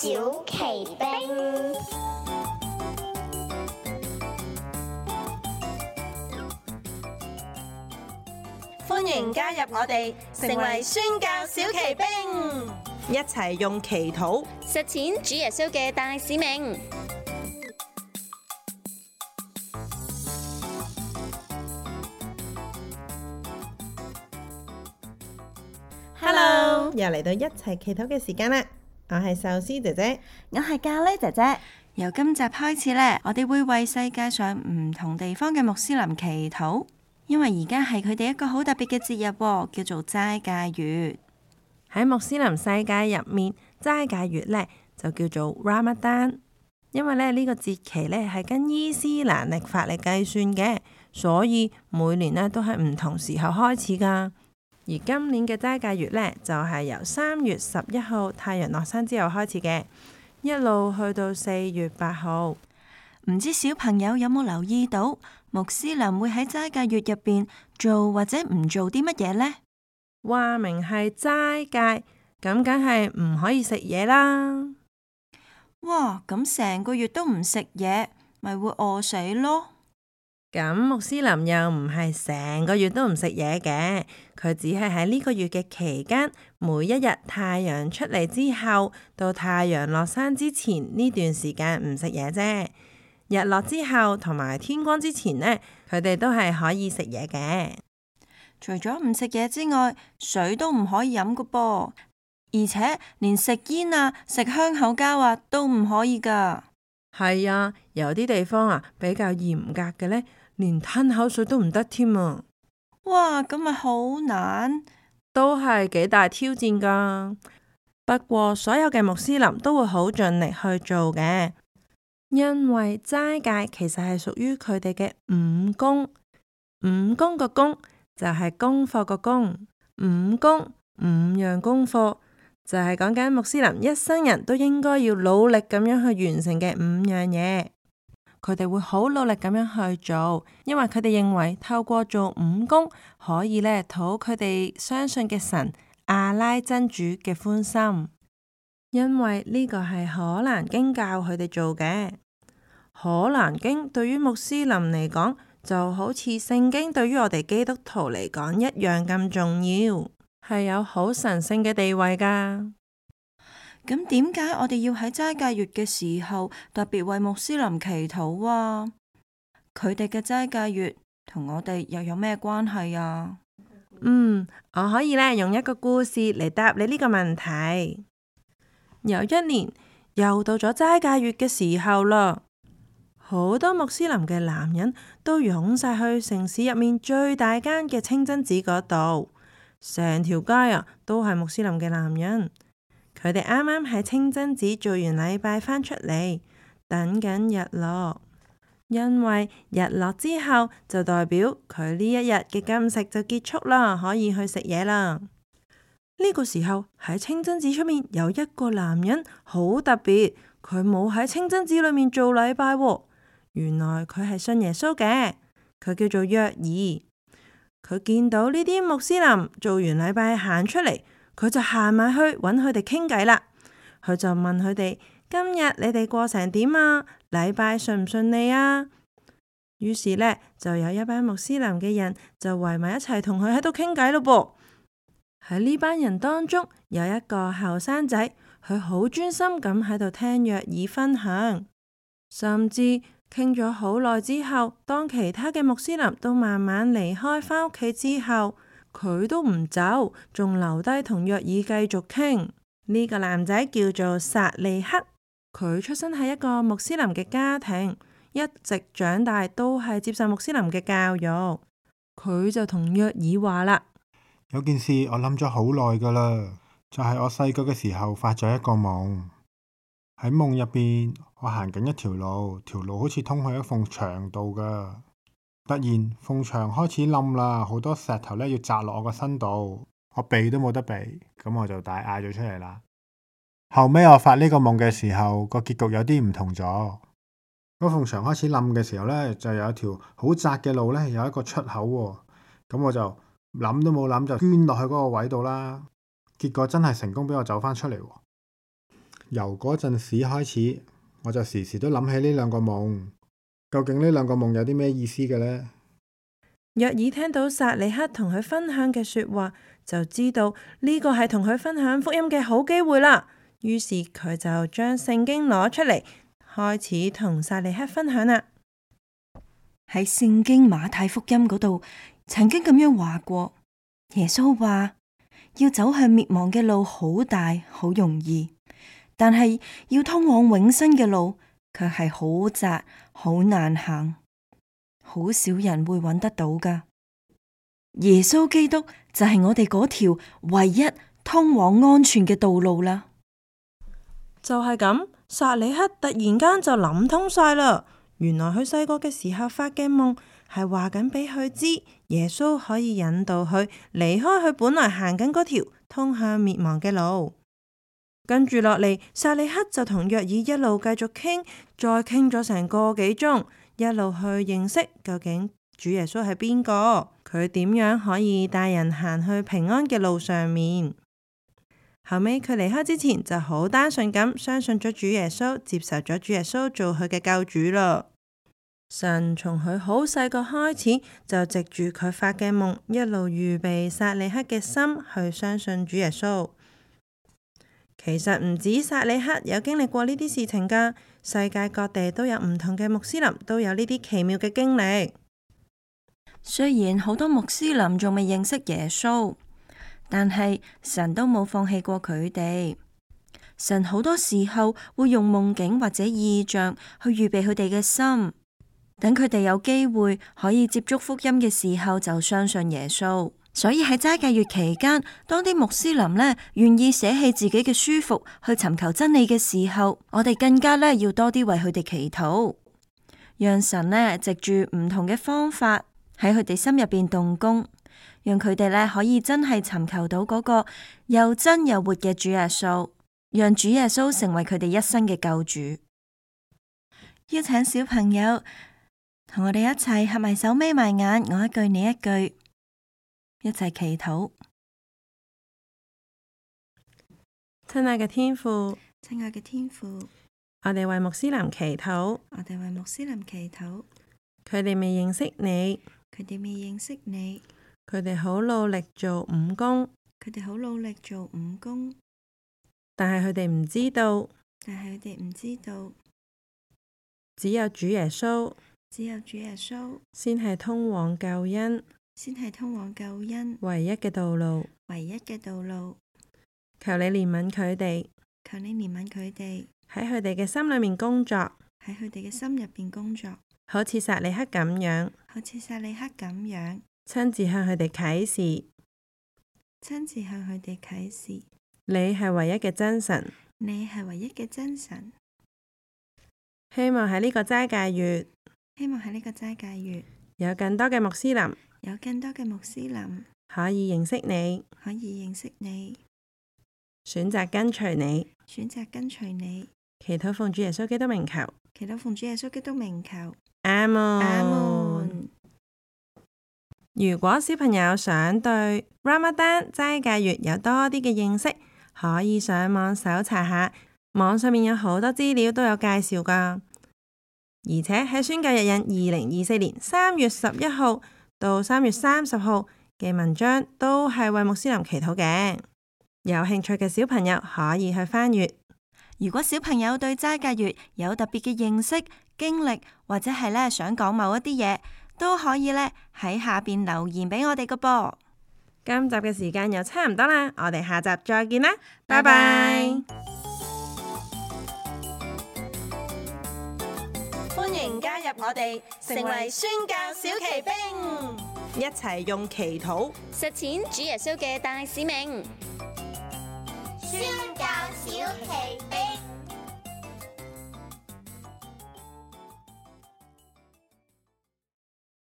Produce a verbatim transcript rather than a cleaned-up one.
小奇兵。歡迎加入我哋，成為宣教小奇兵，一齊用祈禱實踐主耶穌嘅大使命。Hello，又嚟到一齊祈禱嘅時間啦！我係壽司姐姐，我係咖喱姐姐。由今集開始呢，我哋會為世界上唔同地方嘅穆斯林祈禱，因為而家係佢哋一個好特別嘅節日喎，叫做齋戒月。喺穆斯林世界入面，齋戒月呢就叫做 Ramadan， 因為咧呢個節期呢係跟伊斯蘭曆法嚟計算嘅，所以每年呢都係唔同時候開始噶。而今年嘅齋戒月呢，就係由三月十一號太陽落山之後開始嘅，一路去到四月八號。唔知小朋友有冇留意到，穆斯林會喺齋戒月入邊做或者唔做啲乜嘢呢？話明係齋戒，咁梗係唔可以食嘢啦。哇，咁成個月都唔食嘢，咪會餓死咯。咁穆斯林又唔係成個月都唔食嘢嘅，佢只係喺呢個月嘅期間，每一日太陽出嚟之後到太陽落山之前呢段時間唔食嘢啫。日落之後同埋天光之前呢，佢哋都係可以食嘢嘅。除咗唔食嘢之外，水都唔可以飲噶噃，而且連食煙啊、食香口膠啊都唔可以噶。係啊，有啲地方啊比較嚴格嘅呢，連吞口水都唔得添啊！哇，咁咪好難，都係幾大挑戰噶。不過所有嘅穆斯林都會好盡力去做嘅，因為齋戒其實係屬於佢哋嘅五功。五功個功就係功課個功，五功五樣功課就係講緊穆斯林一生人都應該要努力咁樣去完成嘅五樣嘢。佢哋會好努力咁樣去做，因為佢哋認為透過做五功可以咧討佢哋相信嘅神阿拉真主嘅歡心。因為呢個係可蘭經教佢哋做嘅。可蘭經對於穆斯林嚟講就好似聖經對於我哋基督徒嚟講一樣咁重要，係有好神聖嘅地位噶。咁點解我哋要喺齋戒月嘅時候特別為穆斯林祈禱啊？佢哋嘅齋戒月同我哋又有咩關係啊？嗯，我可以咧用一個故事嚟答你呢個問題。有一年又到咗齋戒月嘅時候啦，好多穆斯林嘅男人都湧晒去城市入面最大間嘅清真寺嗰度，成條街啊都係穆斯林嘅男人。佢哋啱啱喺清真寺做完禮拜返出嚟，等緊日落。因為日落之後就代表佢呢一日嘅禁食就結束啦，可以去食嘢啦。呢個時候喺清真寺出面有一個男人好特別，佢冇喺清真寺裏面做禮拜喎。原來佢係信耶穌嘅，佢叫做約爾。佢見到呢啲穆斯林做完禮拜行出嚟，佢就行埋去揾佢哋傾偈啦。佢就問佢哋：今日你哋過成點啊？禮拜順唔順利啊？於是呢，就有一班穆斯林嘅人就圍埋一齊同佢喺度傾偈咯噃。喺呢班人當中有一個後生仔，佢好專心咁喺度聽約爾分享，甚至傾咗好耐之後，當其他嘅穆斯林都慢慢離開返屋企之後，佢都唔走，仲留低同約爾繼續傾。呢個男仔叫做薩利克，佢出生喺一個穆斯林嘅家庭，一直長大都係接受穆斯林嘅教育。佢就同約爾話啦：有件事我諗咗好耐噶啦，就係我細個嘅時候發咗一個夢。喺夢入邊，我行緊一條路，條路好似通去一埲牆度噶。突然埲牆開始冧啦，好多石頭咧要砸落我個身度，我避都冇得避，咁我就大嗌咗出嚟啦。後尾我發呢個夢嘅時候，個結局有啲唔同咗。嗰埲牆開始冧嘅時候咧，就有一條好窄嘅路咧，有一個出口喎。咁我就諗都冇諗就捐落去嗰個位度啦。結果真係成功俾我走返出嚟喎。由嗰陣時開始，我就時時都諗起呢兩個夢。究竟呢兩個夢有啲咩意思嘅呢？約珥聽到撒里克同佢分享嘅說話，就知道呢個係同佢分享福音嘅好機會啦。於是佢就將聖經攞出嚟，開始同撒里克分享啦。喺聖經馬太福音嗰度，曾經咁樣話過，耶穌話要走向滅亡嘅路好大好容易，但係要通往永生嘅路卻係好窄好難行，好少人會揾得到噶。耶穌基督就係我哋嗰條唯一通往安全嘅道路啦。就係咁，撒里克突然間就諗通晒啦。原來佢細個嘅時候發嘅夢係話緊俾佢知，耶穌可以引導佢離開佢本來行緊嗰條通向滅亡嘅路。跟住落嚟，撒里克就同約珥一路繼續傾，再傾咗成個幾鐘，一路去認識究竟主耶穌係邊個，佢點樣可以帶人行去平安嘅路上面。後尾佢離開之前就好單純咁相信咗主耶穌，接受咗主耶穌做佢嘅救主咯。神從佢好細個開始就藉住佢發嘅夢，一路預備撒里克嘅心去相信主耶穌。其實唔止撒里克有經歷過呢啲事情噶，世界各地都有唔同嘅穆斯林都有呢啲奇妙嘅經歷。雖然好多穆斯林仲未認識耶穌，但係神都冇放棄過佢哋。神好多時候會用夢境或者異象去預備佢哋嘅心，等佢哋有機會可以接觸福音嘅時候就相信耶穌。所以喺齋戒月期間，當啲穆斯林呢願意捨棄自己嘅舒服去尋求真理嘅時候，我哋更加呢要多啲為佢哋祈禱，讓神呢藉住唔同嘅方法喺佢哋心入邊動工，讓佢哋呢可以真係尋求到嗰個又真又活嘅主耶穌，讓主耶穌成為佢哋一生嘅救主。邀請小朋友同我哋一齊合埋手眯埋眼，我一句你一句，一齊祈禱。親愛嘅天父，親愛嘅天父，我哋為穆斯林祈禱，我哋為穆斯林祈禱，佢哋未認識你，佢哋未認識你，佢哋好努力做五功，佢哋好努力做五功，但係佢哋唔知道，但係佢哋唔知道，只有主耶穌，只有主耶穌先係通往救恩，先係通往救恩唯一嘅道路。唯一嘅道路。求你憐憫佢哋，求你憐憫佢哋，喺佢哋嘅心裏面工作，喺佢哋嘅心入邊工作，好似撒里克咁樣，好似撒里克咁樣，親自向佢哋啟示，親自向佢哋啟示，你係唯一嘅真神。你係唯一嘅真神。希望喺呢個齋戒月，希望喺呢個齋戒月，有更多嘅穆斯林有更多嘅穆斯林可以認識你，可以認識你，選擇跟隨你，選擇跟隨你。祈禱奉主耶穌基督名求，祈禱奉主耶穌基督名求。阿門。阿門。如果小朋友想對 Ramadan 齋戒月有多啲嘅認識，可以上網搜查下，網上面有好多資料都有介紹噶。而且喺宣教日引二零二四年三月十一號到三月三十號嘅文章都係為穆斯林祈禱嘅，有興趣嘅小朋友可以去翻閱。如果小朋友對齋戒月有特別嘅認識、經歷，或者係咧想講某一啲嘢，都可以咧喺下邊留言俾我哋個噃。今集嘅時間又差唔多啦，我哋下集再見啦，拜拜。歡迎加入我哋，成為宣教小騎兵，一齊用祈禱實踐主耶穌嘅大使命。宣教小奇兵。